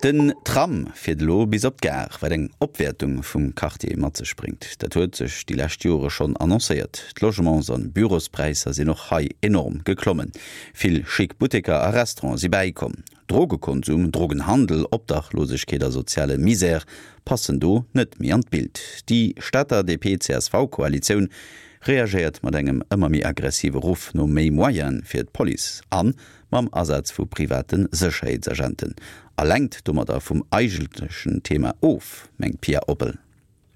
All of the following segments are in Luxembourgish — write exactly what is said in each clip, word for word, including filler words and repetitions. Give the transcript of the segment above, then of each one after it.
Den Tram fiert elo bis op d'Gare, wat eng Opwäertung vum Quartier mat sech bréngt. Dat huet sech déi lescht Jore schonn annoncéiert. D'Logements an Bürospräisser sinn och hei enorm geklommen. Vill schick Butteker a Restaurante si bäikomm. Drogekonsum, Drogenhandel, Obdachlosegkeet a soziale Misär passen do net méi an d'Bild. Déi Stater D P-C S V-Koalitioun reagéiert mat engem ëmmer méi aggressive Ruff no méi Moyene fir d'Police an mam Asaz vu private Sécherheetsagenten a lenkt domadder vum eigentlechen Thema of, mengt Pia Oppel.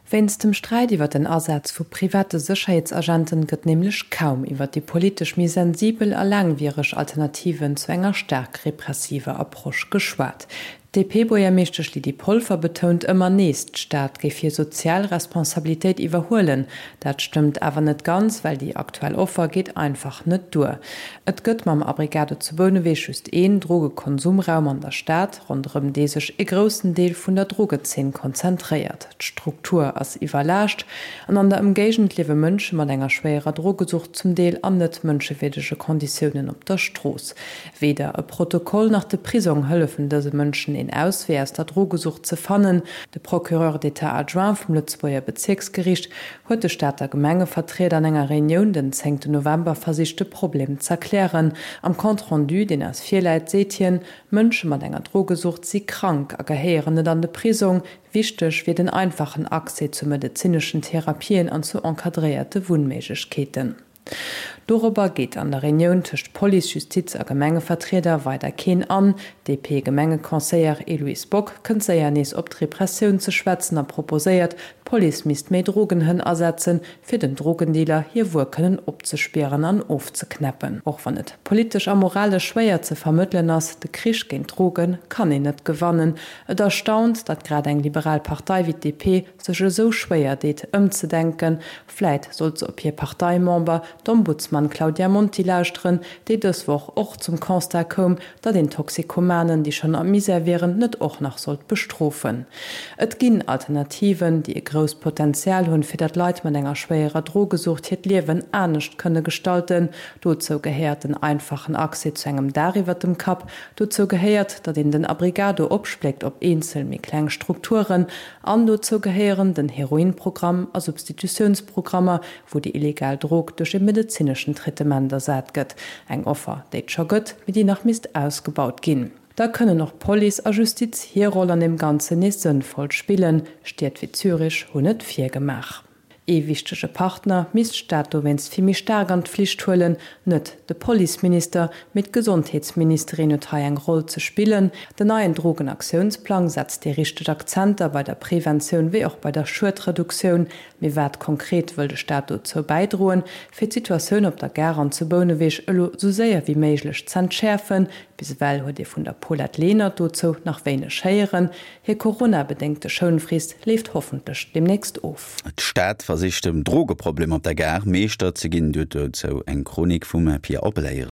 Wéinst dem Sträit iwwer den Asaz vu private Sécherheetsagenten gëtt nämlech kaum iwwer déi politesch méi sensibel a laangwiereg Alternativen zu enger staark repressiver Approche geschwat. D P-Buergermeeschtesch Lydie Polfer betount ëmmer nees, d'Stad géif hir sozial Responsabilitéit iwwerhuelen. Dat stëmmt awer net ganz, well déi aktuell Offer geet einfach net duer. Et gëtt mam Abrigado zu Bouneweg just een Drogekonsumraum an der Stad, ronderëm dee sech e groussen Deel vun der Drogezeen konzentréiert. D'Struktur ass iwwerlaascht an an der Ëmgéigend liewe Mënsche mat enger schwéierer Drogesucht zum Deel an net mënschewierdege Konditiounen op der Strooss. Weder e Protokoll nach de Prisong hëllefen dëse Mënschen een Auswee aus der Drogesucht ze fannen. De Procureur d'État adjoint vum Lëtzebuerger Bezierksgeriicht huet de Stater Gemengevertrieder an enger Reunioun den zéngten November versicht de Problem z'erklären. Am Compte rendu, deen eis virläit, seet hien, Mënsche mat enger Drogesucht si krank a gehéieren net an de Prisong. Wichteg wier den einfachen Accès zu medezineschen Therapien an zu encadréierte Wunnméiglechkeeten. Dorobber geet an der Reunioun tëscht Police, Justiz a Gemengevertrieder weider keen an. D P-Gemengeconseiller Eloïse Bock kënnt séier nees op d'Repressioun ze schwätzen a proposéiert, d'Police misst méi Drogenhënn asetzen, fir den Drogendealer hir Wuer kënnen opzespieren an ofzeknäppen. Och wann et politesch a moralesch schwéier ze vermëttelen ass, de Krich géint d'Droge kann een net gewannen. Et erstaunt, datt grad eng liberal Partei wéi d'D P sech esou schwéier deet ëmzedenken. Vläit sollt se op hir Parteimember, d'Ombudsman Claudia Monti lauschteren, déi dës Woch och zum Constat koum, datt een Toxikomanen, déi schonn am Misär wieren, net och nach sollt bestrofen. Et ginn Alternativen, déi e grousst Potenzial hunn, fir datt Leit mat enger schwéierer Drogesucht hiert Liewen anescht kënne gestalten. Dozou gehéiert den einfachen Accès zu engem Daach iwwer dem Kapp. Dozou gehéiert, datt een den Abrigado opspléckt op eenzel méi kleng Strukturen. An dozou gehéieren den Heroinprogramm a Substitutiounsprogrammer, wou déi illegal Drog duerch e medezineschen Traitement ersat gëtt. Eng Offer, déi et scho gëtt, mee déi nach misst ausgebaut ginn. Da kënnen och Police a Justiz hir Roll an deem Ganzen nees sënnvoll spillen. Stied wéi Zürich hunn et virgemaach. Ee wichtege Partner misst d'Stad dowéinst vill méi staark an d'Flicht huelen, net de Policeminister, mee d'Gesondheetsministerin huet hei eng Roll ze spillen. Den neien Drogenaktiounsplang setzt déi richteg Akzenter bei der Preventioun wéi och bei der Schuedreduktioun. Mee wat konkret wëll de Staat dozou bäidroen, fir d'Situatioun op der Gare an zu Bouneweg elo sou séier wéi méiglech z'entschäerfen? Bis ewell huet ee vun der Paulette Lenert dozou nach wéineg héieren. Hir coronabedéngte Schounfrist leeft hoffentlech deemnächst of. D'Stad versicht dem Drogeproblem op der Gare Meeschter ze ginn. Dozou eng Chronik vum Pia Oppel.